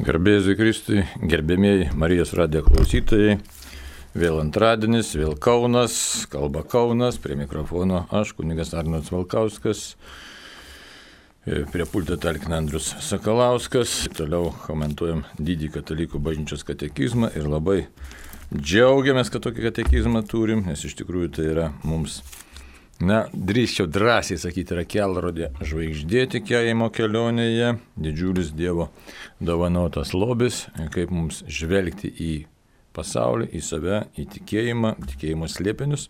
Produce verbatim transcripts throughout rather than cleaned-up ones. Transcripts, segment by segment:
Garbėsiu Kristui, gerbėmieji Marijos radijo klausytojai, vėl antradienis, vėl Kaunas, kalba Kaunas, prie mikrofono aš, kunigas Arnoldas Valkauskas, prie pulto talkina Andrius Sakalauskas, toliau komentuojam didį katalikų bažnyčios katekizmą ir labai džiaugiamės, kad tokį katekizmą turim, nes iš tikrųjų tai yra mums, na, drįsčiau drąsiai sakyti, yra kelrodė žvaigždė tikėjimo kelionėje, didžiulis Dievo dovanotas lobis, kaip mums žvelgti į pasaulį, į save, į tikėjimą, tikėjimo slėpinius.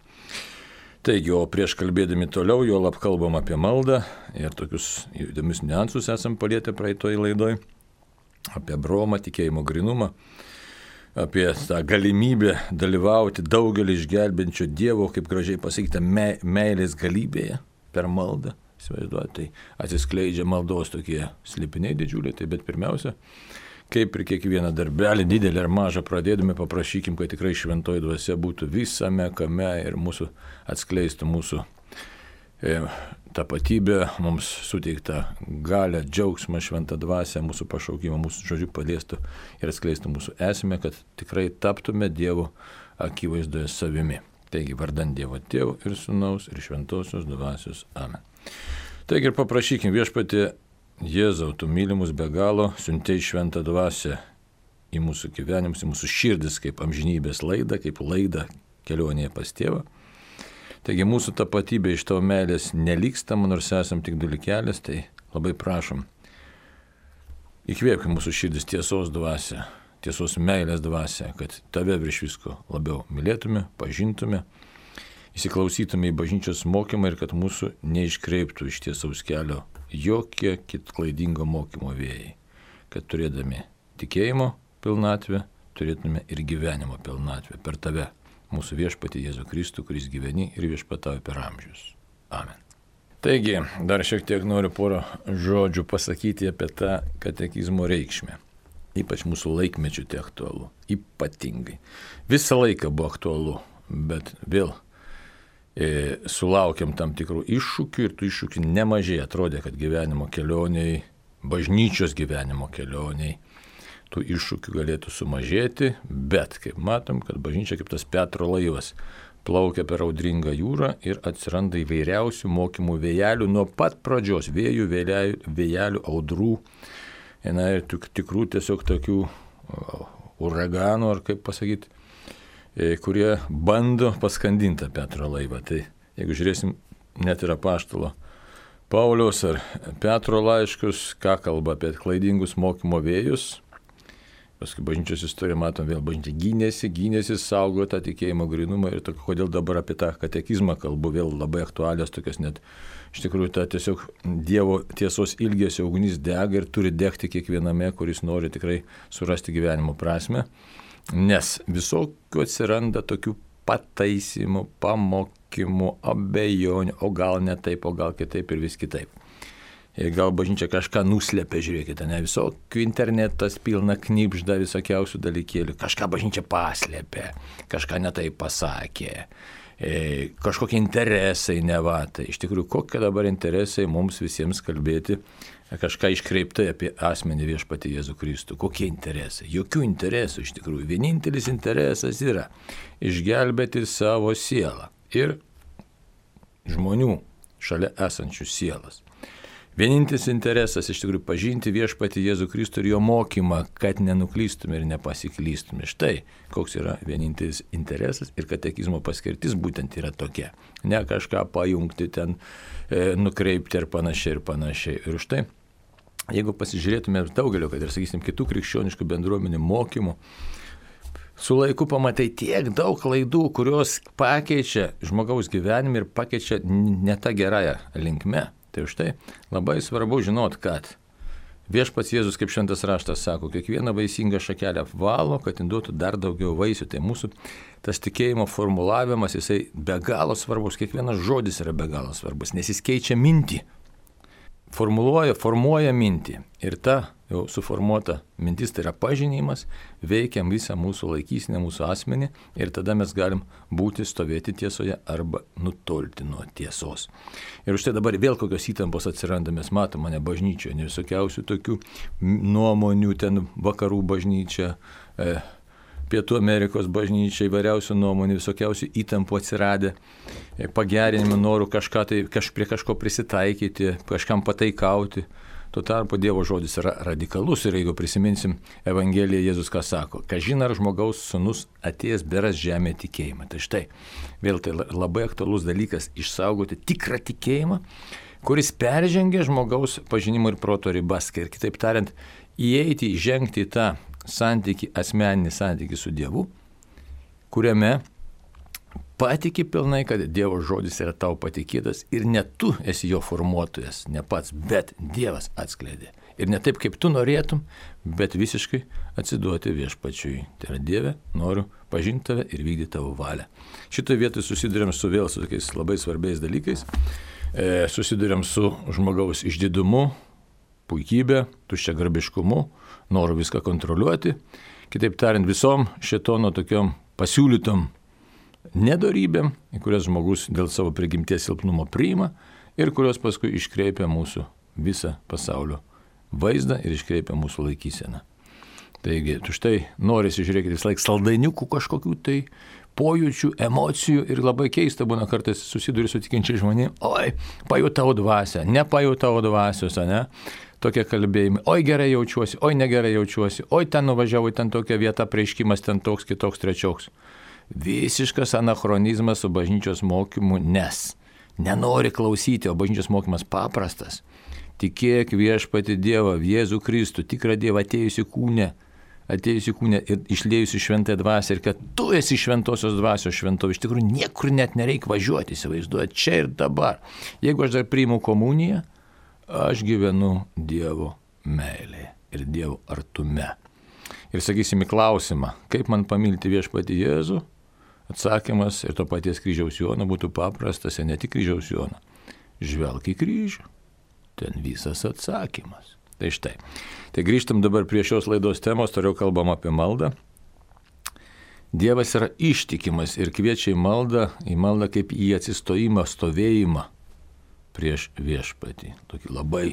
Taigi, o prieš kalbėdami toliau, jau lab kalbam apie maldą ir tokius įdomius niuansus esam palietę praeitoj laidoj, apie bromą, tikėjimo grinumą, apie tą galimybę dalyvauti daugelį išgelbinčio Dievo, kaip gražiai pasakyta, me, meilės galybėje per maldą. Įsivaizduoju, tai atsiskleidžia maldos tokie slėpiniai didžiuliai, tai bet pirmiausia, kaip ir kiekvieną darbelį, didelį ar mažą pradėdami, paprašykim, kad tikrai šventoji dvasia būtų visame kame ir mūsų atskleistų mūsų e, tapatybę, mums suteiktą galę, džiaugsmą, šventą dvasią, mūsų pašaukimą, mūsų žodžių paliestų ir atskleistų mūsų esmę, kad tikrai taptume Dievo akivaizdoje savimi. Taigi, vardan Dievo Tėvo ir Sūnaus ir Šventosios dvasios. Amen. Taigi ir paprašykim viešpatie Jėzau, tu mylimus be galo, siuntei šventą dvasią į mūsų gyvenimus, į mūsų širdis, kaip amžinybės laidą, kaip laidą kelionėje pas Tėvą. Taigi mūsų tapatybė iš tavo meilės nelykstama, nors esam tik dalykelis, tai labai prašom, įkvėpk mūsų širdis tiesos dvasią, tiesos meilės dvasią, kad tave virš visko labiau mylėtume, pažintume, įsiklausytume į bažnyčios mokymą ir kad mūsų neiškreiptų iš tiesaus kelio jokie kit klaidingo mokymo vėjai, kad turėdami tikėjimo pilnatvę, turėtume ir gyvenimo pilnatvę per tave, mūsų viešpatį Jėzų Kristų, kuris gyveni ir viešpatauja per amžius. Amen. Taigi, dar šiek tiek noriu porą žodžių pasakyti apie tą katekizmo reikšmę. Ypač mūsų laikmečių tai aktualu. Ypatingai. Visą laiką buvo aktualu, bet vėl e, sulaukiam tam tikrų iššūkių ir tų iššūkių nemažai. Atrodė, kad gyvenimo kelioniai, bažnyčios gyvenimo kelioniai, tų iššūkių galėtų sumažėti, bet kaip matom, kad bažnyčia kaip tas Petro laivas plaukia per audringą jūrą ir atsiranda įvairiausių mokymų vėjelių nuo pat pradžios, vėjų, vėjelių, vėjelių audrų, na, ir tikrų tiesiog tokių uraganų, ar kaip pasakyti, kurie bando paskandinti Petro laivą. Tai jeigu žiūrėsim net ir apaštalo Pauliaus ar Petro laiškus, ką kalba apie klaidingus mokymo vėjus, paskui bažnyčios istoriją matom, vėl bažnyčia gynėsi, gynėsi, saugo tą tikėjimo grinumą ir to, kodėl dabar apie tą katekizmą kalbu, vėl labai aktualios tokios, net iš tikrųjų ta tiesiog Dievo tiesos ilgesio ugnis dega ir turi degti kiekviename, kuris nori tikrai surasti gyvenimo prasme, nes visokių atsiranda tokių pataisimų, pamokymų, abejonių, o gal ne taip, o gal kitaip ir vis kitaip. Ir gal bažnyčia kažką nuslėpė, žiūrėkite, ne visokių internetas pilna knipžda visokiausių dalykėlių, kažką bažnyčia paslėpė, kažką netai pasakė, e, kažkokie interesai nevatai. Iš tikrųjų, kokie dabar interesai mums visiems kalbėti, kažką iškreiptai apie asmenį viešpatį Jėzų Kristų. Kokie interesai? Jokių interesų iš tikrųjų. Vienintelis interesas yra išgelbėti savo sielą ir žmonių šalia esančių sielas. Vienintelis interesas iš tikrųjų pažinti viešpatį Jėzų Kristų ir jo mokymą, kad nenuklystume ir nepasiklystume. Štai koks yra vienintelis interesas ir katekizmo paskirtis būtent yra tokia. Ne kažką pajungti ten, e, nukreipti ir panašiai ir panašiai. Ir štai, jeigu pasižiūrėtume daugelio, kad ir sakysim, kitų krikščioniškų bendruomenių mokymų, su laiku pamatai tiek daug klaidų, kurios pakeičia žmogaus gyvenimą ir pakeičia ne tą gerąją linkme. Tai už tai labai svarbu žinot, kad viešpats Jėzus, kaip šventas raštas sako, kiekvieną vaisingą šakelę apvalo, kad duotų dar daugiau vaisių. Tai mūsų tas tikėjimo formulavimas, jisai be galo svarbus, kiekvienas žodis yra be galo svarbus, nes jis keičia mintį. formuluoja, formuoja mintį. Ir ta jau suformuota mintis, tai yra pažinimas, veikia visą mūsų laikysinę, mūsų asmenį ir tada mes galim būti, stovėti tiesoje arba nutolti nuo tiesos. Ir už tai dabar vėl kokios įtampos atsiranda, mes matom mane bažnyčioje, ne visokiausių tokių nuomonių, ten vakarų bažnyčia, e, Pietų Amerikos bažnyčia, įvairiausių nuomonių, visokiausių įtampų atsiradę, pagerinimų, norų kažką tai, kaž, prie kažko prisitaikyti, kažkam pataikauti. Tuo tarpu Dievo žodis yra radikalus ir jeigu prisiminsim Evangeliją, Jėzus ką sako, kažin ar žmogaus sūnus atėjęs beras žemė tikėjimą. Tai štai, vėl tai labai aktualus dalykas išsaugoti tikrą tikėjimą, kuris peržengia žmogaus pažinimo ir proto ribas. Ir kitaip tariant, įeiti, įžengti į tą santykį, asmeninį santykį su Dievu, kuriame patiki pilnai, kad Dievo žodis yra tau patikėtas ir ne tu esi jo formuotojas, ne pats, bet Dievas atskleidė. Ir ne taip, kaip tu norėtum, bet visiškai atsiduoti viešpačiui. Tai yra Dieve, noriu pažinti tave ir vykdyti tavo valią. Šitoje vietoje susidurėm su vėl su tokiais labai svarbiais dalykais. E, susidurėm su žmogaus išdidumu, puikybė, tuščiagarbiškumu, noru viską kontroliuoti, kitaip tariant visom šėtono tokiom pasiūlytom nedorybėm, į kurias žmogus dėl savo prigimties silpnumo priima ir kurios paskui iškreipia mūsų visą pasaulio vaizdą ir iškreipia mūsų laikyseną. Taigi, tu štai norisi žiūrėkite vis laik saldainiukų kažkokių tai pojūčių, emocijų ir labai keista būna kartais susiduri su tikinčiai žmonėm, oi, pajutau dvasią, nepajutau dvasios, ne? Tokie kalbėjimai, oi gerai jaučiuosi, oi negerai jaučiuosi, oi ten nuvažiavau, ten tokia vieta, prieškimas ten toks, kitoks, trečioks. Visiškas anachronizmas su bažnyčios mokymu, nes nenori klausyti, o bažnyčios mokymas paprastas. Tikėk viešpatį Dievą, Jėzų Kristų, tikrą Dievą atėjusi kūne, atėjusi kūne ir išlėjusi šventąją dvasią ir kad tu esi šventosios dvasios šventovė. Iš tikrųjų niekur net nereikia važiuoti, įsivaizduoja, čia ir dabar. Jeigu aš dar priimu komuniją, aš gyvenu Dievo meilėje ir Dievo artume. Ir sakysim į klausimą, kaip man pamilti viešpatį Jėzų, atsakymas ir to paties kryžiaus Jono būtų paprastas, ir ne tik kryžiaus Jono. Žvelk į kryžių, ten visas atsakymas. Tai štai. Tai grįžtam dabar prie šios laidos temos, toliau kalbam apie maldą. Dievas yra ištikimas ir kviečia į maldą, į maldą kaip į atsistojimą, stovėjimą prieš viešpatį. Tokį labai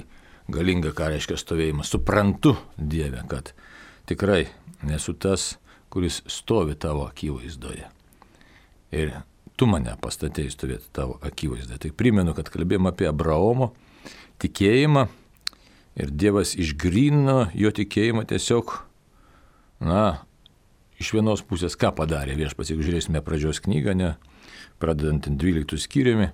galingą, ką reiškia stovėjimas. Suprantu, Dieve, kad tikrai nesu tas, kuris stovi tavo akivaizdoje. Ir tu mane pastatėjai stovėti tavo akivaizdoje. Tai primenu, kad kalbėjom apie Abraomo tikėjimą ir Dievas išgrynino jo tikėjimą tiesiog, na, iš vienos pusės ką padarė viešpats, jeigu žiūrėsime pradžios knygą, ne, pradedant dvyliktų skyriumi,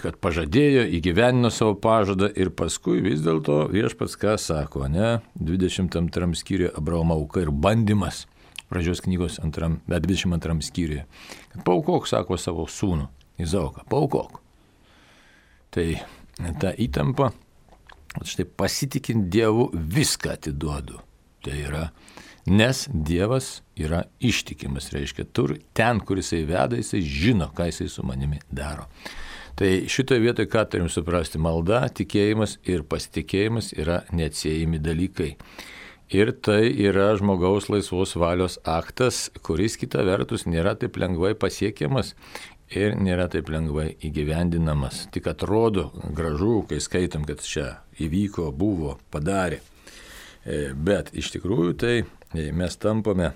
kad pažadėjo, įgyvenino savo pažadą ir paskui vis dėlto viešpats ką sako, ne, dvidešimt antram skyriuje Abraomo auka ir bandymas, pradžios knygos antram, bet dvidešimt antram skyriuje, kad paukok, sako, savo sūnų, Izaoką, paukok. Tai ta įtampa, štai pasitikint Dievu viską atiduodu. Tai yra, nes Dievas yra ištikimas, reiškia, tur, ten, kur jisai veda, jisai žino, ką jisai su manimi daro. Tai šitoje vietoje, ką turim suprasti, malda, tikėjimas ir pasitikėjimas yra neatsiejami dalykai. Ir tai yra žmogaus laisvos valios aktas, kuris kita vertus nėra taip lengvai pasiekiamas ir nėra taip lengvai įgyvendinamas. Tik atrodo gražu, kai skaitom, kad čia įvyko, buvo, padarė. Bet iš tikrųjų tai mes tampame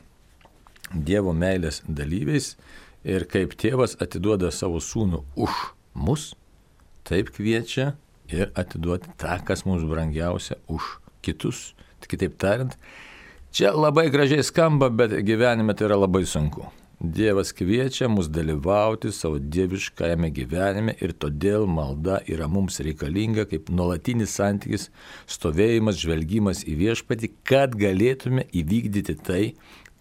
Dievo meilės dalyviais ir kaip tėvas atiduoda savo sūnų už mus, taip kviečia ir atiduoti tą, kas mums brangiausia, už kitus. Kitaip tariant, čia labai gražiai skamba, bet gyvenime tai yra labai sunku. Dievas kviečia mus dalyvauti savo dieviškajame gyvenime ir todėl malda yra mums reikalinga kaip nuolatinis santykis, stovėjimas, žvelgimas į viešpatį, kad galėtume įvykdyti tai,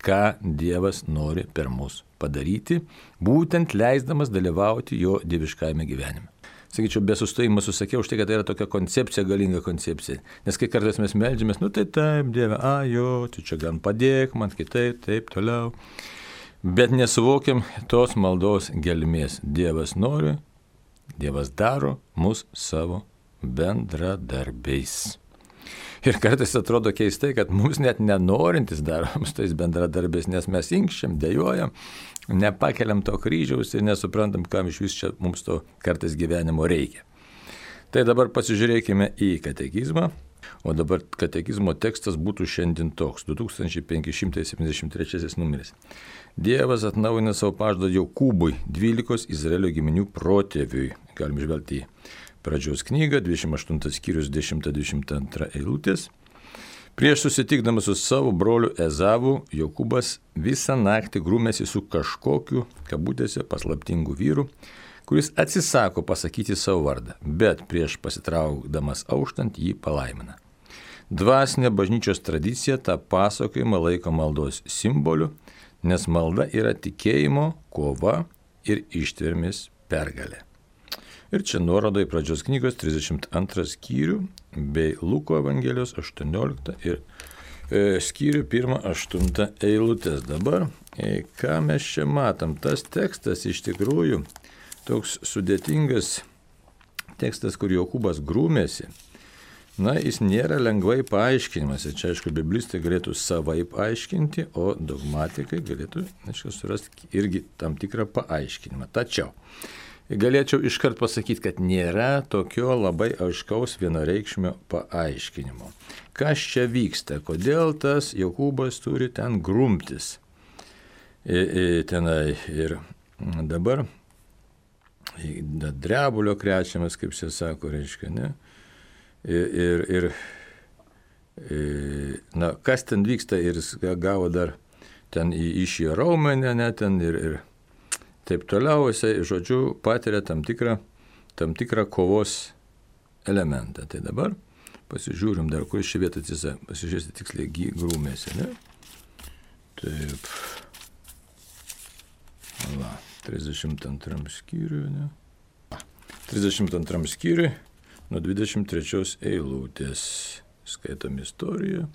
ką Dievas nori per mus padaryti, būtent leisdamas dalyvauti jo dieviškajame gyvenime. Sakyčiau, be sustojimo susakiau už tai, kad tai yra tokia koncepcija, galinga koncepcija. Nes kai kartais mes meldžiamės, nu tai taip, Dieve, a, jo, tu čia gan padėk man kitaip, taip, toliau. Bet nesuvokiam tos maldos gelmės. Dievas nori, Dievas daro mus savo bendradarbiais. Ir kartais atrodo keistai, kad mums net nenorintis darom su tais bendradarbiais, nes mes inkščiam, dejojam, nepakeliam to kryžiaus ir nesuprantam, kam iš vis čia mums to kartais gyvenimo reikia. Tai dabar pasižiūrėkime į katekizmą, o dabar katekizmo tekstas būtų šiandien toks, du tūkstančiai penki šimtai septyniasdešimt trečiasis numeris. Dievas atnaujina savo pažadą Jokūbui, dvylikos Izraelio giminių protėviui. Galim žvelgti į Pradžios knygą, dvidešimt aštuntas skyrius, dešimta dvidešimt antra eilutės. Prieš susitikdamas su savo broliu Ezavu, Jokūbas visą naktį grūmėsi su kažkokiu, kabutėse, paslaptingu vyru, kuris atsisako pasakyti savo vardą, bet prieš pasitraukdamas auštant jį palaimina. Dvasinė bažnyčios tradicija tą pasakojimą laiko maldos simboliu, nes malda yra tikėjimo, kova ir ištvermės pergalė. Ir čia nuoroda į Pradžios knygos trisdešimt antrą skyrių bei Luko Evangelijos aštuonioliktą ir e, skyrių pirmą aštuntą eilutės. Dabar, e, ką mes čia matom, tas tekstas iš tikrųjų toks sudėtingas tekstas, kur Jokūbas grūmėsi. Na, jis nėra lengvai paaiškinimas. Ir čia, aišku, biblistai galėtų savaip aiškinti, o dogmatikai galėtų, aišku, surasti irgi tam tikrą paaiškinimą. Tačiau galėčiau iškart pasakyti, kad nėra tokio labai aiškaus vienareikšmio paaiškinimo. Kas čia vyksta? Kodėl tas Jokūbas turi ten grumtis? I, i, tenai ir dabar drebulio krečiamas, kaip čia sako, reiškia, ne? Ir, ir, ir na, kas ten vyksta ir jis gavo dar ten iš jo raumenę, ne, ten ir, ir taip toliau, jisai, žodžiu, patiria tam tikrą, tam tikrą kovos elementą. Tai dabar pasižiūrim dar, kur ši vieta atsisa, pasižiūrėsi tiksliai grūmėsi, ne? Taip. Va, trisdešimt antram skyriui, ne? trisdešimt antram skyriui, nuo dvidešimt trečios eilutės. Skaitom istoriją.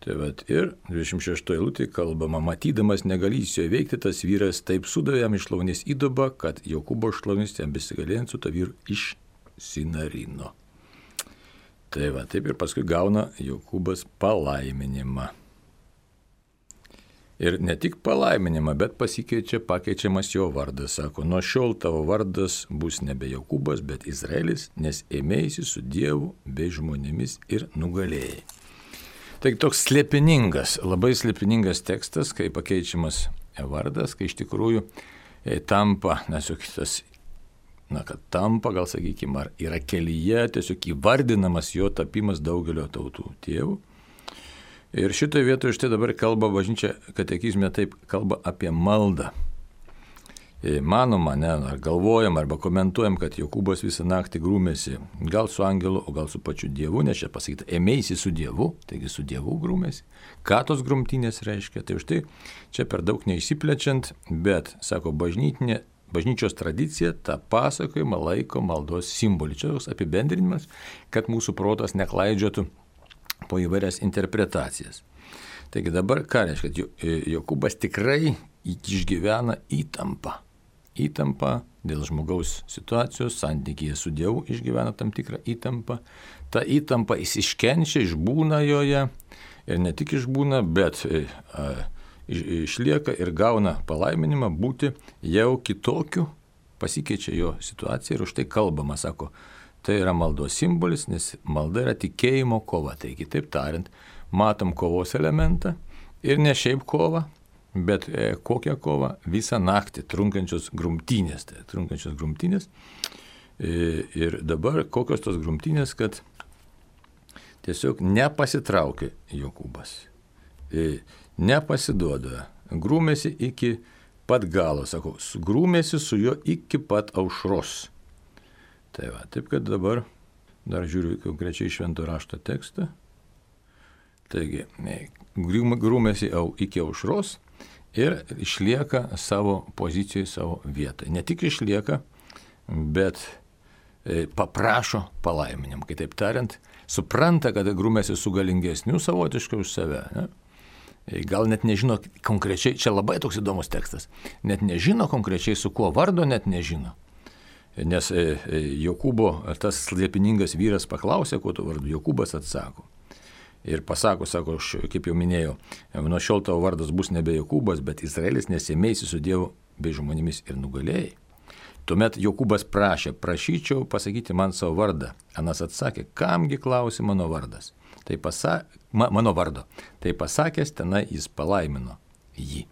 Tai vat, ir dvidešimt šeštoje eilutėje kalbama, matydamas negalįs jo įveikti, tas vyras taip sudavė jam iš šlaunies įdubą, kad Jokūbo šlaunis jam besigalėjant su to vyru išsinarino. Tai va, taip ir paskui gauna Jokūbas palaiminimą. Ir ne tik palaiminimą, bet pasikeičia, pakeičiamas jo vardas. Sako, nuo šiol tavo vardas bus nebe Jokūbas, bet Izraelis, nes ėmėsi su Dievu bei žmonėmis ir nugalėjai. Taigi toks slėpiningas, labai slėpiningas tekstas, kai pakeičiamas vardas, kai iš tikrųjų e, tampa, nesuk tas, na, kad tampa, gal sakykime, ar yra kelyje, tiesiog įvardinamas jo tapimas daugelio tautų tėvų. Ir šitoje vietoje štai dabar kalba bažnyčia katekizme, taip kalba apie maldą. Manoma, ne, ar galvojam, arba komentuojam, kad Jokūbas visą naktį grūmėsi, gal su angelu, o gal su pačiu Dievu, nes čia pasakyta, ėmėsi su Dievu, taigi su Dievu grūmėsi. Ką tos grumtynės reiškia? Tai už tai čia per daug neišsiplečiant, bet, sako, bažnytinė, bažnyčios tradicija tą pasakojimą laiko maldos simbolį. Čia toks apibendrinimas, kad mūsų protas neklaidžiotų po įvairias interpretacijas. Taigi dabar ką reiškia, kad Jokūbas tikrai išgyvena įtampą. Įtampa dėl žmogaus situacijos, santykyje su Dievu išgyvena tam tikrą įtampą. Ta įtampa jis iškenčia, išbūna joje ir ne tik išbūna, bet a, išlieka ir gauna palaiminimą būti jau kitokiu, pasikeičia jo situacija ir už tai kalbama, sako, tai yra maldos simbolis, nes malda yra tikėjimo kova. Tai kitaip tariant, matom kovos elementą ir ne šiaip kova, bet e, kokią kovą visą naktį trunkančios grumtynės. Tai trunkančios grumtynės. E, ir dabar kokios tos grumtynės, kad tiesiog nepasitraukia Jokūbas. E, nepasiduoda. Grūmėsi iki pat galo, sako, grūmėsi su juo iki pat aušros. Tai va, taip kad dabar dar žiūriu konkrečiai švento rašto tekstą. Taigi, grūmėsi jau iki aušros ir išlieka savo pozicijoje, savo vietoje. Ne tik išlieka, bet paprašo palaiminimą. Kitaip tariant, supranta, kad grūmėsi su galingesniu savotiškai už save. Ne? Gal net nežino konkrečiai, čia labai toks įdomus tekstas, net nežino konkrečiai su kuo vardo, net nežino. Nes Jokūbo tas slėpiningas vyras paklausė, kuo tu vardu, Jokūbas atsako. Ir pasako, sako, aš kaip jau minėjau, nuo šiol tavo vardas bus nebe Jokūbas, bet Izraelis, nes ėmėsi su Dievu bei žmonėmis ir nugalėjai. Tuomet Jokūbas prašė, prašyčiau pasakyti man savo vardą. Anas atsakė, kamgi klausi mano vardas. Tai pasa, ma, mano vardo. Tai pasakęs, tenai jis palaimino jį.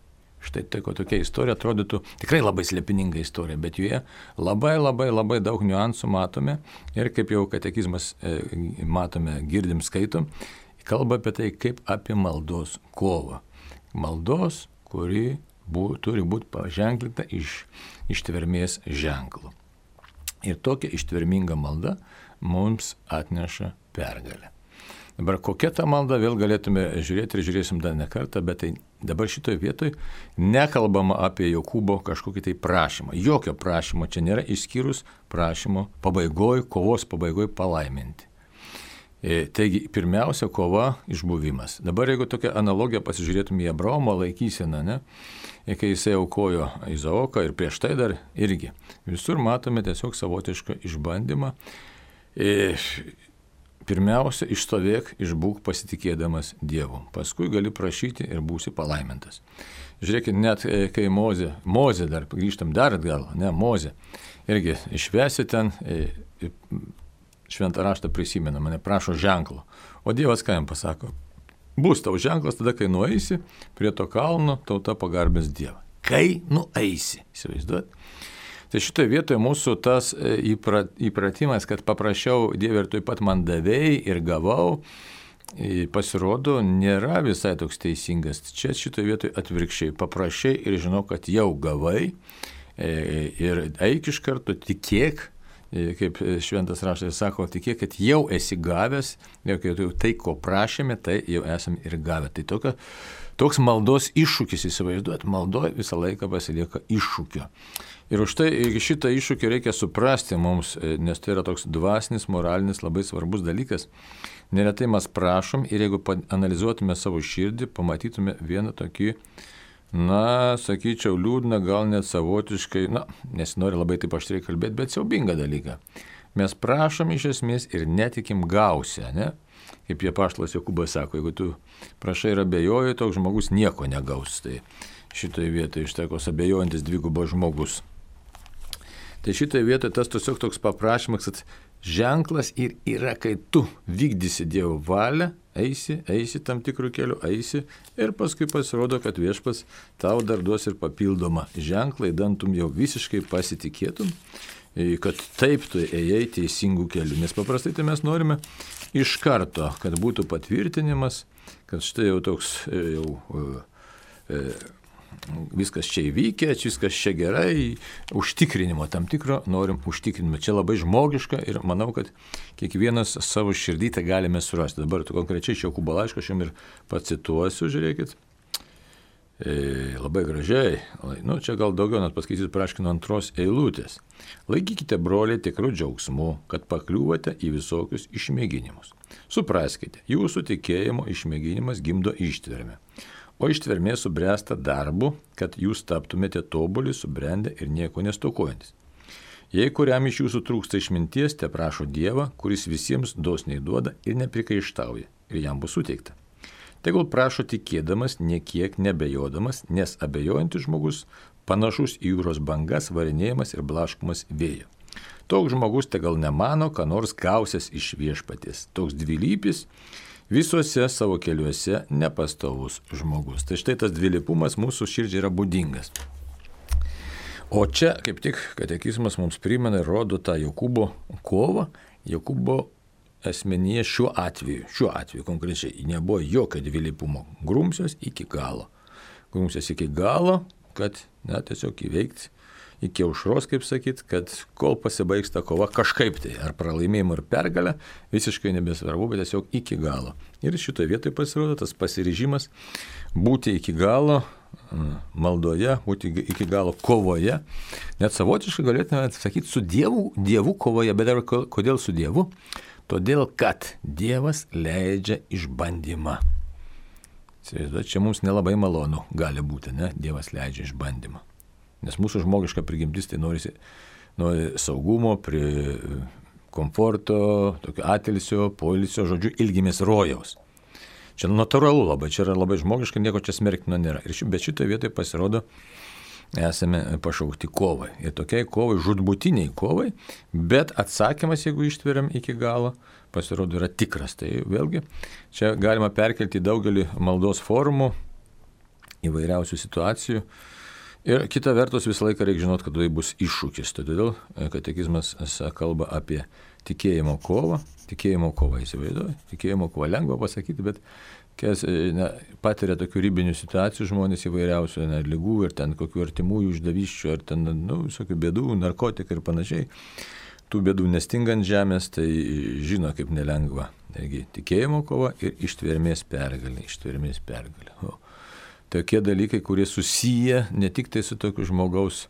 Štai tai, ko tokia istorija atrodytų tikrai labai slėpininga istorija, bet joje labai labai labai daug niuansų matome ir kaip jau katekizmas e, matome, girdim, skaitom, kalba apie tai, kaip apie maldos kovą. Maldos, kuri bu, turi būti paženklinta iš ištvermės ženklų. Ir tokia ištverminga malda mums atneša pergalę. Dabar kokia ta malda, vėl galėtume žiūrėti ir žiūrėsim dar ne kartą, bet tai dabar šitoje vietoje nekalbama apie Jokūbo kažkokį tai prašymą. Jokio prašymo čia nėra, išskyrus prašymo pabaigoj, kovos pabaigoj palaiminti. E, taigi, pirmiausia, kova išbuvimas. Dabar jeigu tokią analogiją pasižiūrėtume į Abraomo laikyseną, ne, kai jisai aukojo Izaoką ir prieš tai dar irgi. Visur matome tiesiog savotišką išbandymą. E, Pirmiausia, išstovėk, išbūk pasitikėdamas Dievu. Paskui gali prašyti ir būsi palaimintas. Žiūrėkit, net kai Mozė, Mozė dar, grįžtam dar atgal, ne, Mozė, irgi išvesi ten, šventą raštą prisimena, mane prašo ženklo. O Dievas ką jam pasako? Bus tau ženklas tada, kai nueisi prie to kalno, tauta pagarbins Dievą. Kai nueisi, įsivaizduot? Tai šitoje vietoje mūsų tas įpratimas, kad paprašiau Dievą ir taip pat man davėjai ir gavau, pasirodo, nėra visai toks teisingas. Čia šitoje vietoje atvirkščiai paprašiai ir žinau, kad jau gavai ir eik iš karto, tikėk, kaip šventas raštas sako, tikėk, kad jau esi gavęs, jau tai, ko prašėme, tai jau esame ir gavę. Tai tokia, toks maldos iššūkis, įsivaizduot, maldoje visą laiką pasilieka iššūkio. Ir už tai šitą iššūkį reikia suprasti mums, nes tai yra toks dvasinis, moralinis, labai svarbus dalykas. Neretai mes prašom ir jeigu analizuotume savo širdį, pamatytume vieną tokį, na, sakyčiau, liūdną, gal net savotiškai, na, nesinori labai taip aštriai kalbėti, bet siaubingą dalyką. Mes prašom iš esmės ir netikim gausia, ne? Kaip jie apaštalas Jokūbas sako, jeigu tu prašai ir abejoji, toks žmogus nieko negaus. Tai šitoje vietoje ištekos abejojantis dvigubas žmogus. Tai šitoje vietoje tas tiesiog toks paprašymas, kad ženklas ir yra, kai tu vykdysi Dievo valią, eisi, eisi tam tikrų kelių, eisi ir paskui pasirodo, kad viešpats tau dar duos ir papildomą ženklą, įdantum jau visiškai pasitikėtum, kad taip tu ėjai teisingų kelių. Nes paprastai tai mes norime iš karto, kad būtų patvirtinimas, kad štai jau toks jau... E, viskas čia įvykę, viskas čia gerai, užtikrinimo tam tikro norim užtikrinimo. Čia labai žmogiška ir manau, kad kiekvienas savo širdį tą galime surasti. Dabar tu konkrečiai Jokūbo laišką aš jums ir pacituosiu, žiūrėkit. E, labai gražiai. Nu, čia gal daugiau net paskaitysiu praškino antros eilutės. Laikykite, broliai, tikrų džiaugsmų, kad pakliūvate į visokius išmėginimus. Supraskite, jūsų tikėjimo išmėginimas gimdo ištvermę. O ištvermė subręsta darbu, kad jūs taptumėte tobuli, subrendę ir nieko nestokojantis. Jei kuriam iš jūsų trūksta išminties, te prašo Dievą, kuris visiems dosniai duoda ir neprikaištauja, ir jam bus suteikta. Tegul prašo tikėdamas, niekiek nebejodamas, nes abejojantis žmogus panašus į jūros bangas, varinėjimas ir blaškomas vėjo. Toks žmogus tegal nemano, ką nors gausias iš viešpaties. Toks dvilypis, visuose savo keliuose nepastovus žmogus. Tai štai tas dvilypumas mūsų širdžiai yra būdingas. O čia kaip tik katekizmas mums primena ir rodo tą Jokūbo kovą. Jokūbo asmenyje šiuo atveju, šiuo atveju konkrečiai nebuvo jokio dvilypumo. Grumsios iki galo. Grumsios iki galo, kad na, tiesiog įveikti iki aušros, kaip sakyt, kad kol pasibaigs ta kova kažkaip tai, ar pralaimėjimo, ar pergalę, visiškai nebesvarbu, bet tiesiog iki galo. Ir šitoje vietoje pasirodo tas pasiryžimas būti iki galo maldoje, būti iki galo kovoje. Net savotiškai galėtume sakyti su Dievu, Dievu kovoje, bet dar kodėl su Dievu? Todėl, kad Dievas leidžia išbandymą. Čia mums nelabai malonu gali būti, ne? Dievas leidžia išbandymą. Nes mūsų žmogiška prigimtis tai norisi nuo saugumo prie komforto, tokio atilsio, poilsio, žodžiu, ilgimės rojaus. Čia natūralu labai, čia yra labai žmogiška, nieko čia smerktino nėra. Ir ši, bet šitoje vietoje pasirodo, esame pašaukti kovai. Ir tokiai kovai, žudbutiniai kovai, bet atsakymas, jeigu ištveriam iki galo, pasirodo yra tikras. Tai vėlgi, čia galima perkelti daugelį maldos formų, įvairiausių situacijų. Ir kita vertus visą laiką reikia žinoti, kad tai bus iššūkis. Todėl katekizmas kalba apie tikėjimo kovą. Tikėjimo kovą įsivaizduoju. Tikėjimo kovą lengva pasakyti, bet kas ne, patiria tokių ribinių situacijų žmonės įvairiausių ne, lygų ir ten kokių artimųjų išdavyščių, ar ten nu, visokių bėdų, narkotikai ir panašiai. Tų bėdų nestingant žemės, tai žino kaip nelengva. Taigi tikėjimo kova ir ištvermės pergalė. Ištvermės pergalė. O, tokie dalykai, kurie susiję ne tik tai su tokiu žmogaus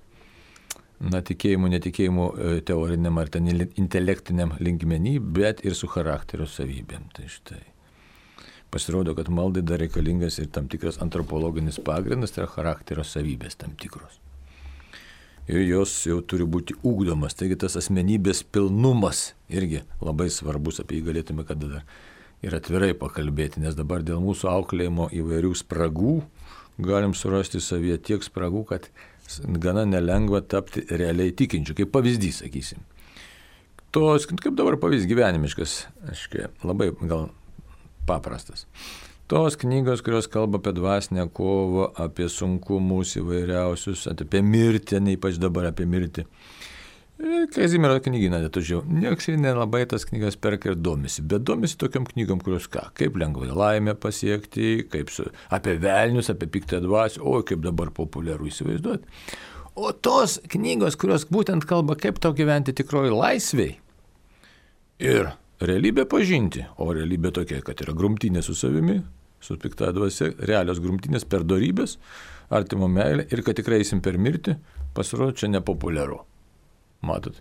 na, tikėjimu, netikėjimu teoriniam ar ten intelektiniam linkmenį, bet ir su charakterio savybėm. Tai štai. Pasirodo, kad maldai dar reikalingas ir tam tikras antropologinis pagrindas, tai yra charakterio savybės tam tikros. Ir jos jau turi būti ugdomas. Taigi tas asmenybės pilnumas irgi labai svarbus, apie jį galėtume kada dar ir atvirai pakalbėti, nes dabar dėl mūsų auklėjimo įvairių spragų galim surasti savyje tiek spragų, kad gana nelengva tapti realiai tikinčiu, kaip pavyzdys, sakysim. Tos, kaip dabar pavyzdys gyvenimiškas, aiškiai, labai gal paprastas. Tos knygos, kurios kalba apie dvasinę kovą, apie sunkumus įvairiausius, apie mirtį, ne ypač dabar apie mirtį. Kazimiero knygyną netužiau. Niekas ir nelabai tas knygas perka ir domisi, bet domisi tokiam knygom, kurios ką, kaip lengvai laimę pasiekti, kaip su, apie velnius, apie piktą dvasią, o kaip dabar populiaru įsivaizduoti. O tos knygos, kurios būtent kalba, kaip tau gyventi tikroji laisviai ir realybę pažinti, o realybė tokia, kad yra grumtynė su savimi, su pikta dvasia, realios grumtynės per dorybės, artimo meilę ir kad tikrai eisim per mirtį, pasirodo čia nepopuliaru. Matot,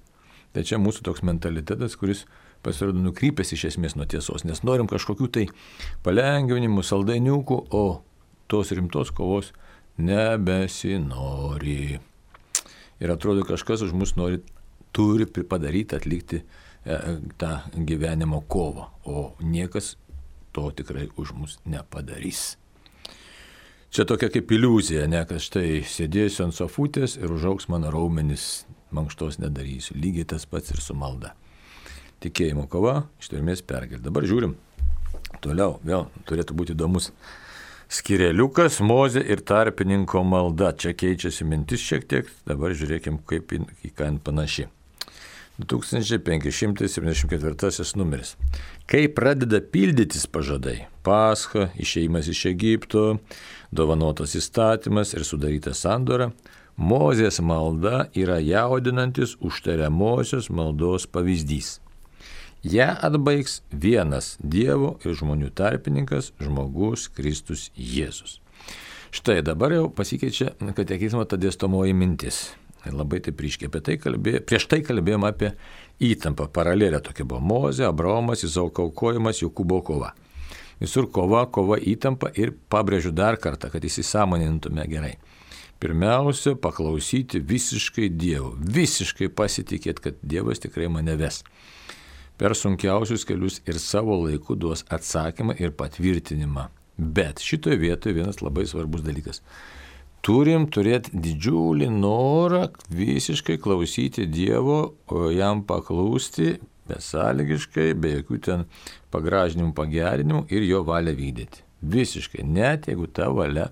tai čia mūsų toks mentalitetas, kuris pasirodo nukrypęs iš esmės nuo tiesos, nes norim kažkokių tai palengvinimų, saldainiukų, o tos rimtos kovos nebesinori. Ir atrodo, kažkas už mus nori, turi padaryti, atlikti e, tą gyvenimo kovą, o niekas to tikrai už mus nepadarys. Čia tokia kaip iliuzija, ne, kad štai sėdėsiu ant sofutės ir užaugs mano raumenis, mankštos nedarysiu. Lygiai tas pats ir su malda. Tikėjimo kova, ištvermės pergalė. Dabar žiūrim. Toliau, vėl turėtų būti įdomus skireliukas, Mozė ir tarpininko malda. Čia keičiasi mintis šiek tiek. Dabar žiūrėkim, kaip į ką panaši. du tūkstančiai penki šimtai septyniasdešimt ketvirtasis numeris. Kai pradeda pildytis pažadai, Pascha, išėjimas iš Egipto, dovanotas įstatymas ir sudaryta sandora, Mozės malda yra jaudinantis užtariamosios maldos pavyzdys. Ja atbaigs vienas Dievo ir žmonių tarpininkas, žmogus Kristus Jėzus. Štai dabar jau pasikeičia katekizmo ta dėstomoji mintis. Labai taip ryškiai apie tai kalbėjome. Prieš tai kalbėjome apie įtampą. Paralelė tokia buvo Mozė, Abraomas, Izaoko aukojimas, Jokūbo kova. Visur kova, kova, įtampa ir pabrėžiu dar kartą, kad įsisąmonintume gerai. Pirmiausia, paklausyti visiškai Dievo. Visiškai pasitikėti, kad Dievas tikrai mane ves. Per sunkiausius kelius ir savo laiku duos atsakymą ir patvirtinimą. Bet šitoje vietoje vienas labai svarbus dalykas. Turim turėti didžiulį norą visiškai klausyti Dievo, o jam paklūsti besąlygiškai, be jokių ten pagražinimų, pagerinimų ir jo valią vykdyti. Visiškai, net jeigu ta valia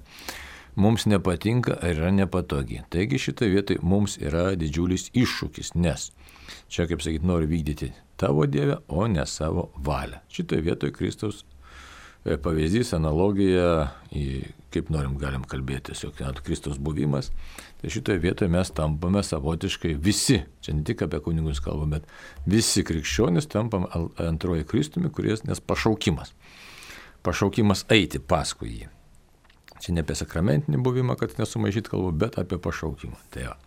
mums nepatinka ar yra nepatogi. Taigi šitoje vietoje mums yra didžiulis iššūkis, nes čia, kaip sakyti, noriu vykdyti tavo Dievę, o ne savo valią. Šitoje vietoje Kristaus pavyzdys, analogija, kaip norim galim kalbėti, tiesiog Kristaus buvimas. Tai šitoje vietoje mes tampame savotiškai visi, čia ne tik apie kunigus kalbame, bet visi krikščionys tampame antroji Kristumi, kuris, nes pašaukimas. Pašaukimas eiti paskui jį. Čia ne apie sakramentinį buvimą, kad nesumaišyt kalbu, bet apie pašaukimą. Tai jo.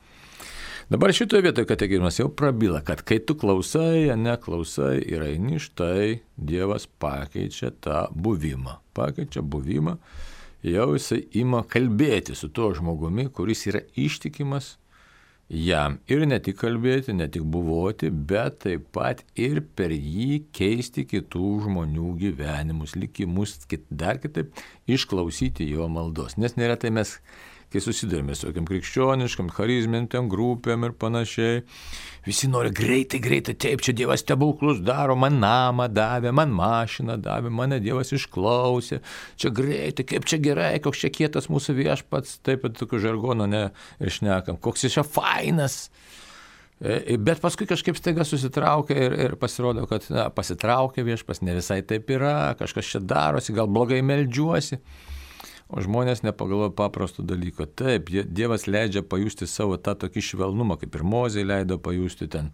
Dabar šitoje vietoje katekizmas jau prabyla, kad kai tu klausai, neklausai ir eini, štai Dievas pakeičia tą buvimą. Pakeičia buvimą, jau jisai ima kalbėti su tuo žmogumi, kuris yra ištikimas jam ir ne tik kalbėti, ne tik buvoti, bet taip pat ir per jį keisti kitų žmonių gyvenimus, likimus, dar kitaip išklausyti jo maldos. Nes neretai mes, kai susidurime su tokiam krikščioniškam, charizmintėm grupėm ir panašiai, visi nori greitai, greitai, taip, čia Dievas stebuklus daro, man namą davė, man mašiną davė, mane Dievas išklausė, čia greitai, kaip čia gerai, koks čia kietas mūsų viešpats, taip pat tokio žargono neišnekam, koks jis čia fainas. Bet paskui kažkaip staiga susitraukia ir, ir pasirodo, kad na, pasitraukia viešpats, ne visai taip yra, kažkas čia darosi, gal blogai meldžiuosi. O žmonės nepagalvoja paprastų dalykų. Taip, Dievas leidžia pajusti savo tą tokį švelnumą, kaip ir Mozei leido pajusti ten.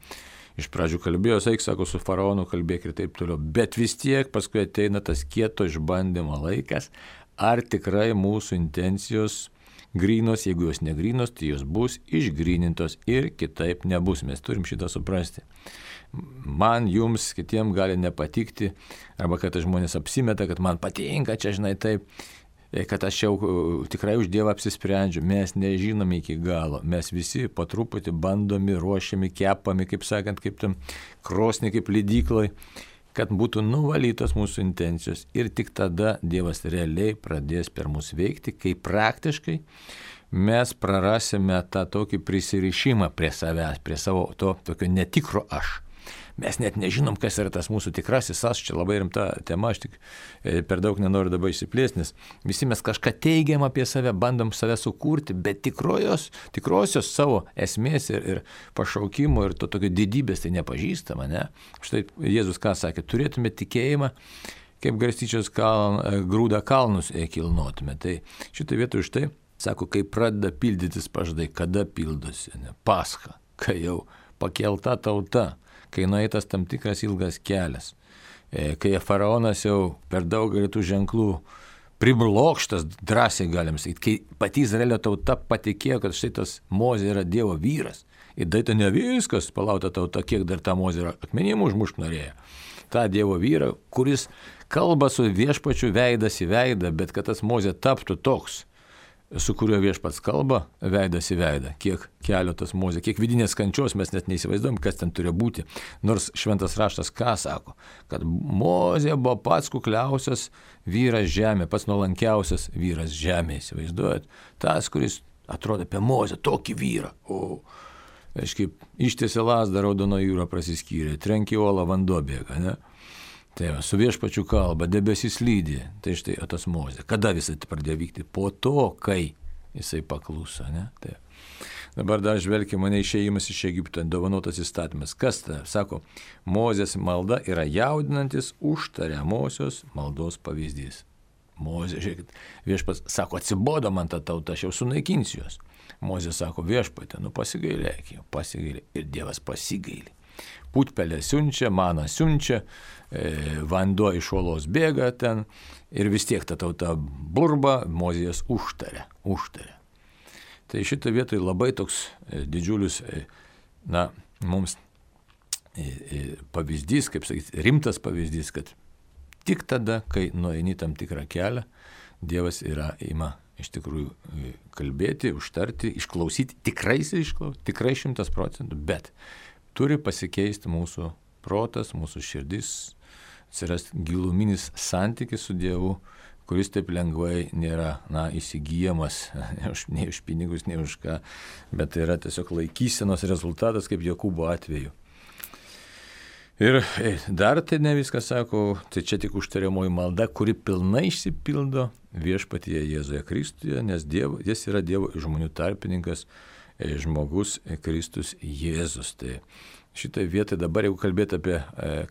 Iš pradžių kalbėjo, eik, sako, su faraonu kalbėk ir taip toliau. Bet vis tiek paskui ateina tas kieto išbandymo laikas, ar tikrai mūsų intencijos grynos, jeigu jos negrynos, tai jos bus išgrynintos ir kitaip nebus. Mes turim šitą suprasti. Man, jums, kitiem gali nepatikti, arba kad žmonės apsimeta, kad man patinka, čia žinai taip, kad aš jau tikrai už Dievą apsisprendžiu, mes nežinome iki galo, mes visi po truputį bandomi, ruošiami, kepami, kaip sakant, kaip tam krosnį, kaip lydyklai, kad būtų nuvalytos mūsų intencijos ir tik tada Dievas realiai pradės per mus veikti, kai praktiškai mes prarasime tą tokį prisirišimą prie savęs, prie savo to tokio netikro aš. Mes net nežinom, kas yra tas mūsų tikrasis aš, čia labai rimta tema, aš tik per daug nenoriu dabar išsiplėsti, nes visi mes kažką teigiam apie save, bandom save sukurti, bet tikrojos, tikrosios savo esmės ir, ir pašaukimo ir to tokio didybės tai nepažįstama, ne? Štai Jėzus ką sakė, turėtume tikėjimą, kaip garstyčios kaln, grūdą kalnus kilnotume. Tai šitą vietą už tai, sako, kai pradeda pildytis pažadai, kada pildosi, ne? Pascha, kai jau pakelta tauta, kai nueitas tam tikras ilgas kelias, kai faraonas jau per daugelį tų ženklų priblokštas, drąsiai galim sakyti, kai pati Izraelio tauta patikėjo, kad štai tas Mozė yra Dievo vyras, ir tai tai ne viskas, palauta tauta, kiek dar tą Mozę akmenim užmušt norėjo. Ta Dievo vyra, kuris kalba su viešpačiu veidas į veidą, bet kad tas Mozė taptų toks, su kuriuo viešpats kalba, veidas į veidą, kiek kelio tas Mozė, kiek vidinės kančios mes net neįsivaizduojam, kas ten turi būti. Nors šventas raštas ką sako, kad Mozė buvo pats kukliausias vyras žemė, pats nuolankiausias vyras žemė, įsivaizduojat. Tas, kuris atrodo apie Mozę, tokį vyrą. O, aiškiai, ištiesė lazdą, raudono jūra prasiskyrė, trenkė uolą, vanduo bėga, ne? Tai va, su viešpačiu kalba, debesis lydi, tai štai o tas Mozė. Kada visai tai pradėjo vykti? Po to, kai jisai pakluso, ne? Tai. Dabar dar žvelgia mane išėjimas iš Egipto, dovanotas įstatymas. Kas tai? Sako, Mozės malda yra jaudinantis užtariamosios maldos pavyzdys. Mozė, žiūrėkit, viešpats sako, atsibodo man tą tautą, aš jau sunaikinsiu juos. Mozė sako, viešpatė, nu pasigailėk, pasigailėk. Ir Dievas pasigailė. Putpelė siunčia, maną siunčia, e, vanduo iš uolos bėga ten ir vis tiek ta tauta burba, Mozės užtaria, užtaria. Tai šitą vietoj labai toks e, didžiulis, e, na, mums e, e, pavyzdys, kaip sakyti, rimtas pavyzdys, kad tik tada, kai nueini tam tikrą kelią, Dievas yra ima iš tikrųjų kalbėti, užtarti, išklausyti, tikrai išklausyti, tikrai šimtas procentų, bet turi pasikeisti mūsų protas, mūsų širdis, atsirasti giluminis santykis su Dievu, kuris taip lengvai nėra, na, įsigyjamas, nei už pinigus, nei už ką, bet tai yra tiesiog laikysenos rezultatas, kaip Jokūbo atveju. Ir dar tai ne viskas, sako, tai čia tik užtariamoji malda, kuri pilnai išsipildo viešpatyje Jėzuje Kristuje, nes Dievo, jis yra Dievo žmonių tarpininkas, žmogus Kristus Jėzus. Tai šitą vietą dabar, jeigu kalbėti apie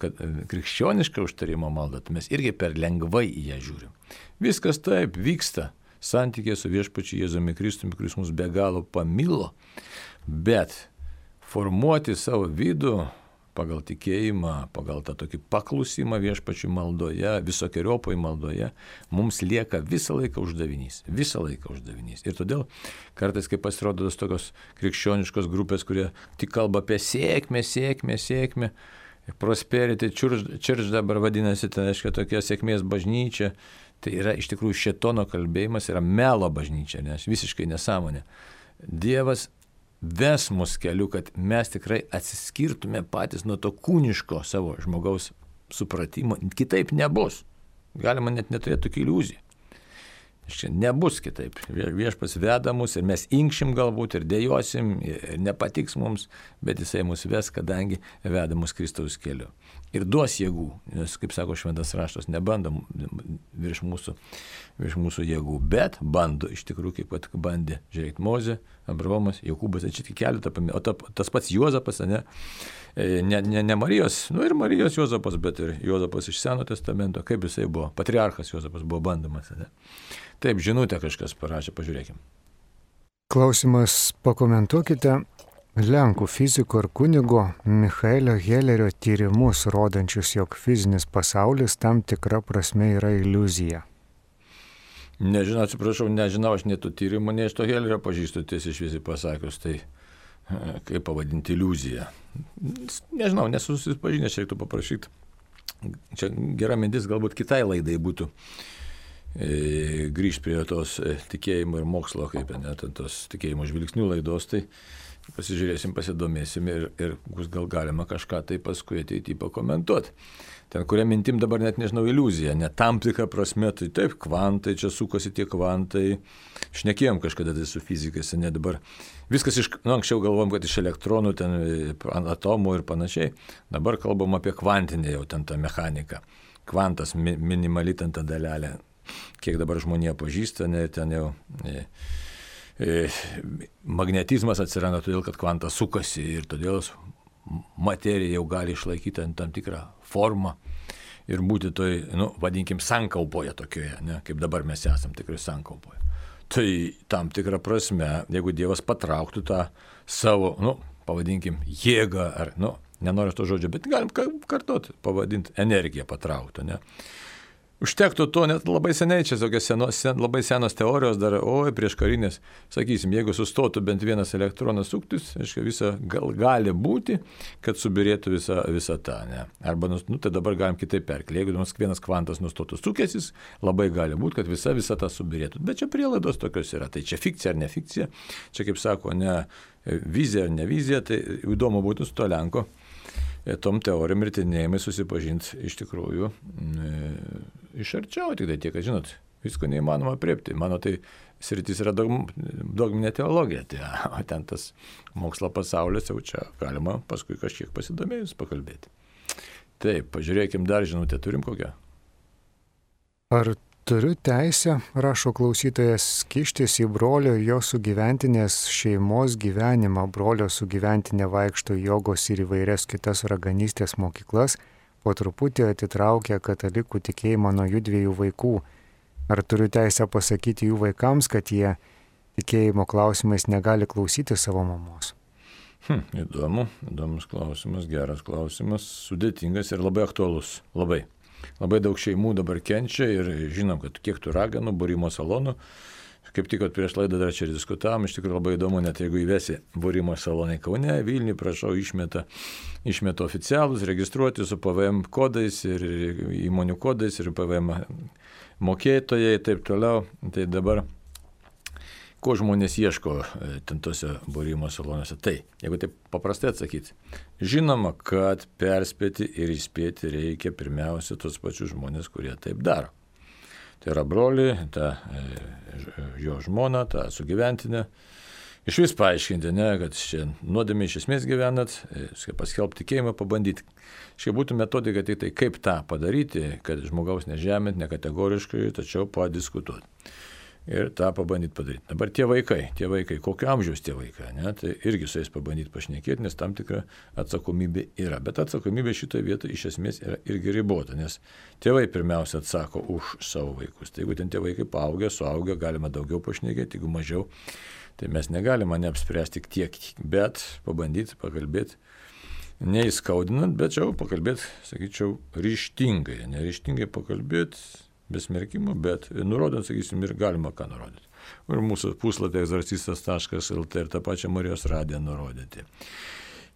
kad, krikščionišką užtarimo maldą, tai mes irgi per lengvai į ją žiūrim. Viskas taip vyksta santykė su viešpačiu Jėzumi Kristumi, kuris mus be galo pamilo, bet formuoti savo vidų pagal tikėjimą, pagal tą tokį paklusimą viešpačių maldoje, visokeriopoj maldoje, mums lieka visą laiką uždavinys, visą laiką uždavinys. Ir todėl kartais, kai pasirodo tos tokios krikščioniškos grupės, kurie tik kalba apie sėkmę, sėkmę, sėkmę, prosperity church dabar vadinasi, tai reiškia tokia sėkmės bažnyčia, tai yra iš tikrųjų šėtono kalbėjimas, yra melo bažnyčia, nes visiškai nesąmonė. Dievas ves mus keliu, kad mes tikrai atsiskirtume patys nuo to kūniško savo žmogaus supratimo. Kitaip nebus. Galima net neturėti tokių iliuzijų. Čia nebus kitaip. Viešpats veda mus ir mes inkšim galbūt ir dėjosim, ir nepatiks mums, bet jisai mus ves, kadangi veda mus Kristaus keliu. Ir duos jėgų, nes, kaip sako šventas raštas, nebando virš mūsų, virš mūsų jėgų, bet bando iš tikrųjų, kaip pat bandė, žiūrėk, Mozė, Abraomas, Jokūbas, čia tik keletą paminė, o ta, tas pats Juozapas, ne, ne, ne, ne Marijos, nu ir Marijos Juozapas, bet ir Juozapas iš Seno testamento, kaip jisai buvo, patriarchas Juozapas buvo bandomas, ne. Taip, žinutę kažkas parašė, pažiūrėkim. Klausimas, pakomentuokite Lenkų fiziko ir kunigo Michaelio Hellerio tyrimus, rodančius, jog fizinis pasaulis tam tikra prasme yra iliuzija. Nežinau, atsiprašau, nežinau, aš nei tų tyrimų, nei iš to Hellerio pažįstu, tiesiai šviesiai pasakius, tai kaip pavadinti iliuziją. Nežinau, nesusipažinęs, čia reiktų paprašyti. Čia gera mintis galbūt kitai laidai būtų. Grįžti prie tos tikėjimo ir mokslo, kaip net tos tikėjimo žvilgsnių laidos, tai pasižiūrėsim, pasidomėsim ir, ir bus gal galima kažką tai paskui ateiti pakomentuoti. Ten, kuria mintim dabar net nežinau, iliuzija, ne tam tikrą prasme, tai taip, kvantai, čia sukosi tie kvantai, šnekėjom kažkada tai su fizikais, ne dabar. Viskas iš, nu, anksčiau galvom, kad iš elektronų, ten atomų ir panašiai, dabar kalbam apie kvantinę jau ten tą mechaniką. Kvantas, mi, minimali ten ta dalelė. Kiek dabar žmonija pažįsta, ne, ten jau e, e, magnetizmas atsiranda todėl, kad kvantas sukasi ir todėl materija jau gali išlaikyti tam tikrą formą ir būti toj, nu, vadinkim, sankaupoje tokioje, ne, kaip dabar mes esam tikrai sankaupoje. Tai tam tikrą prasme, jeigu Dievas patrauktų tą savo, nu, pavadinkim, jėgą, ar, nu, nenoriu to žodžio, bet galim kartuoti, pavadinti energiją patrauktų, ne. Užtektų to, net labai seniai, čia tokios senos, sen, labai senos teorijos dar, oi, prieš karinės, sakysim, jeigu sustotų bent vienas elektronas suktis, aiškiai, visa gal, gali būti, kad subirėtų visa, visa ta, ne. Arba, nu, tai dabar galim kitaip perkelti, jeigu vienas kvantas nustotų sukęsis, labai gali būti, kad visa, visa ta subirėtų. Bet čia prielaidos tokios yra, tai čia fikcija ar ne fikcija, čia, kaip sako, ne vizija ar ne vizija, tai įdomu būtų su to Lenko tom teorijom ir tyrinėjimai susipažinti iš tikrųjų e, iš arčiau, tik tai tiek, kad žinot, visko neįmanoma apriepti. Mano tai sritis yra dogm, dogminė teologija, tai, o ten tas mokslo pasaulis jau čia galima paskui kažkiek pasidomėjus pakalbėti. Taip, pažiūrėkim dar žinutę, turim kokią? Ar turiu teisę, rašo klausytojas, kištis į brolio ir jo sugyventinės šeimos gyvenimą? Brolio sugyventinė vaikšto jogos ir įvairias kitas raganystės mokyklas, po truputį atitraukia katalikų tikėjimą nuo jų dviejų vaikų. Ar turiu teisę pasakyti jų vaikams, kad jie tikėjimo klausimais negali klausyti savo mamos? Hm, įdomu, įdomus klausimas, geras klausimas, sudėtingas ir labai aktualus, labai. Labai daug šeimų dabar kenčia ir žinom, kad kiek tų raganų, būrimo salonų. Kaip tik prieš laidą dar čia diskutavom, iš tikrųjų labai įdomu, net jeigu įvesi būrimo salonai Kaune, Vilniuje, prašau, išmeta, išmeta oficialus, registruoti su P V M kodais ir įmonių kodais ir P V M mokėtojai ir taip toliau. Tai dabar, ko žmonės ieško ten tose būrimo salonuose? Tai, jeigu taip paprastai atsakyti, žinoma, kad perspėti ir įspėti reikia pirmiausia tos pačius žmonės, kurie taip daro. Tai yra broli, ta jo žmona, ta sugyventinė. Iš vis paaiškinti, ne, kad čia nuodėmė iš esmės gyvenat, paskelbti tikėjimą, pabandyti. Šia būtų metodika tik tai, kaip tą padaryti, kad žmogaus nežemint, nekategoriškai, tačiau padiskutuoti. Ir tą pabandyti padaryti. Dabar tie vaikai, tie vaikai, kokio amžiaus tie vaikai, ne, tai irgi su jais pabandyti pašnekėti, nes tam tikra atsakomybė yra. Bet atsakomybė šitoje vietoje iš esmės yra irgi ribota, nes tėvai pirmiausia atsako už savo vaikus. Tai jeigu ten tie vaikai paaugę, suaugę, galima daugiau pašnekėti, jeigu mažiau, tai mes negalime neapspręsti tiek, bet pabandyti pakalbėti, neįskaudinant, bet jau pakalbėti, sakyčiau, ryžtingai, neryžtingai pakalbėti, besmerkimo, bet nurodant, sakysim, ir galima ką nurodyti. Ir mūsų puslapį egzorcistas taškas el tė ir tą pačią Marijos radiją nurodyti.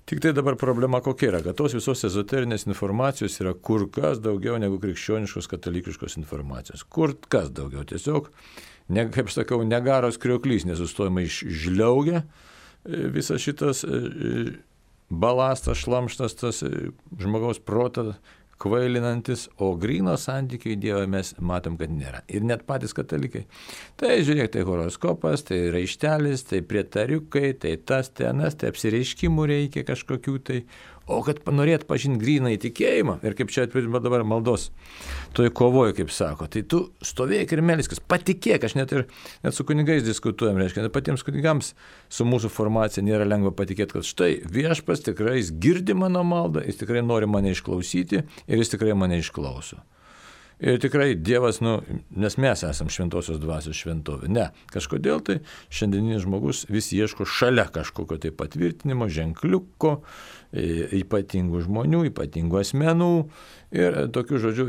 Tik tai dabar problema kokia yra, kad tos visos ezoterinės informacijos yra kur kas daugiau negu krikščioniškos katalikiškos informacijos. Kur kas daugiau. Tiesiog, ne, kaip sakau, negaros krioklys nesustojama išžliaugia visas šitas balastas, šlamštas, tas žmogaus protą kvailinantis, o gryno santykių į Dievą mes matom, kad nėra. Ir net patys katalikai. Tai žiūrėk, tai horoskopas, tai raištelis, tai prietariukai, tai tas, tai anas, tai apsireiškimų reikia kažkokių tai. O kad norėt pažinti gryną įtikėjimą, ir kaip čia atvirti dabar maldos, toj kovoju, kaip sako, tai tu stovėk ir melskis, patikėk, aš net ir net su kunigais diskutuojam, reiškia, net patiems kunigams su mūsų formacija nėra lengva patikėti, kad štai viešpas tikrai jis girdi mano maldą, jis tikrai nori mane išklausyti ir jis tikrai mane išklauso. Ir tikrai Dievas, nu, nes mes esam šventosios dvasios šventovė. Ne, kažkodėl tai šiandieninis žmogus vis ieško šalia kažkokio tai patvirtinimo, ženkliuko, ypatingų žmonių, ypatingų asmenų. Ir tokių žodžių,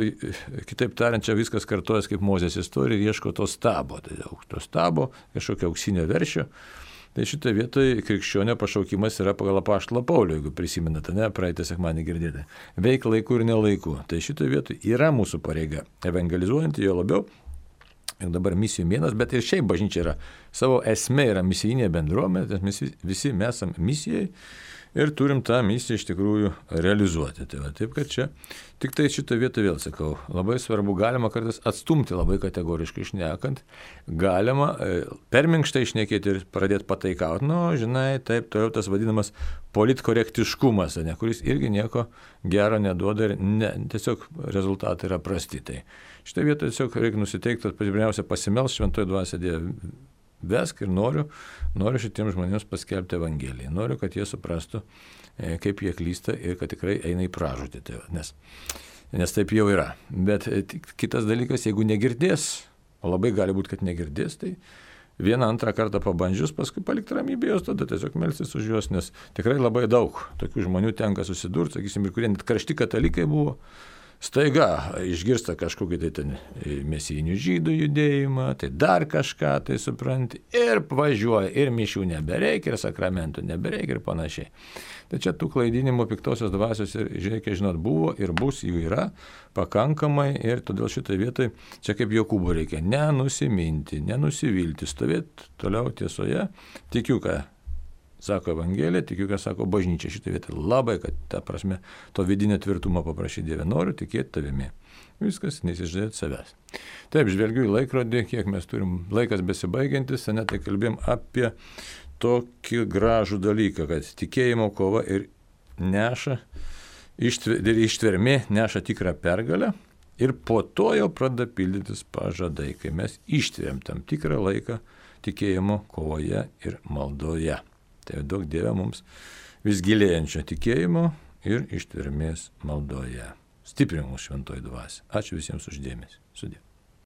kitaip tariant, čia viskas kartojas kaip Mozės istorija ir ieško to stabo. Tai to stabo, kažkokio auksinio veršio. Tai šitoje vietoje krikščionio pašaukimas yra pagal apaštalą Paulių, jeigu prisimenate, ne, praeitą sekmadienį girdėjote. Veik laiku ir nelaiku. Tai šitoje vietoje yra mūsų pareiga evangelizuojant, jo labiau. Ir dabar misijų mėnas, bet ir šiaip bažnyčia yra. Savo esmė yra misijinė bendruomenė, mes visi mes esame misijai ir turim tą misiją iš tikrųjų realizuoti. Tai va, taip, kad čia tik tai šitą vietą vėl sakau, labai svarbu, galima kartais atstumti labai kategoriškai šnekant, galima per minkštai šnekėti ir pradėti pataikauti, nu, žinai, taip, toliau tas vadinamas politkorektiškumas, ne, kuris irgi nieko gero neduoda ir ne, tiesiog rezultatai yra prasti. Tai šitą vietą tiesiog reikia nusiteikti, kad pirmiausia pasimels šventoji dvasia Dieve. Vesk ir noriu, noriu šitiems žmonėms paskelbti Evangeliją. Noriu, kad jie suprastų, kaip jie klysta ir kad tikrai eina į pražūtį. Tai, nes, nes taip jau yra. Bet kitas dalykas, jeigu negirdės, o labai gali būti, kad negirdės, tai vieną antrą kartą pabandžius, paskui palikti ramybę jos, tada tiesiog melstis už juos, nes tikrai labai daug tokių žmonių tenka susidurti, sakysim, ir kurie net karšti katalikai buvo. Staiga išgirsta kažkokį tai ten mesijinių žydų judėjimą, tai dar kažką tai supranti ir važiuoja, ir mišių nebereikia, ir sakramentų nebereikia ir panašiai. Tai čia tų klaidinimų piktosios dvasios ir, žiūrėkit, žinot, buvo ir bus, jų yra pakankamai ir todėl šitoje vietoje čia kaip Jokūbo reikia nenusiminti, nenusivilti, stovėti toliau tiesoje, tikiu, ką sako Evangelija, tikiu, ką sako bažnyčia šitą vietą. Labai, kad ta prasme, to vidinio tvirtumo paprašyti Dieve, noriu tikėti tavimi. Viskas, nesižadėti savęs. Taip, žvelgiu į laikrodį, kiek mes turim laikas besibaigiantis, ne, tai kalbėjom apie tokį gražų dalyką, kad tikėjimo kova ir neša, ištvermė neša tikrą pergalę ir po to jau pradeda pildytis pažadai, kai mes ištveriam tam tikrą laiką tikėjimo kovoje ir maldoje. Tai daug Dieve mums vis gilėjančio tikėjimo ir ištvermės maldoje. Stiprink mūsų šventoji dvasia. Ačiū visiems už dėmesį. Sudie.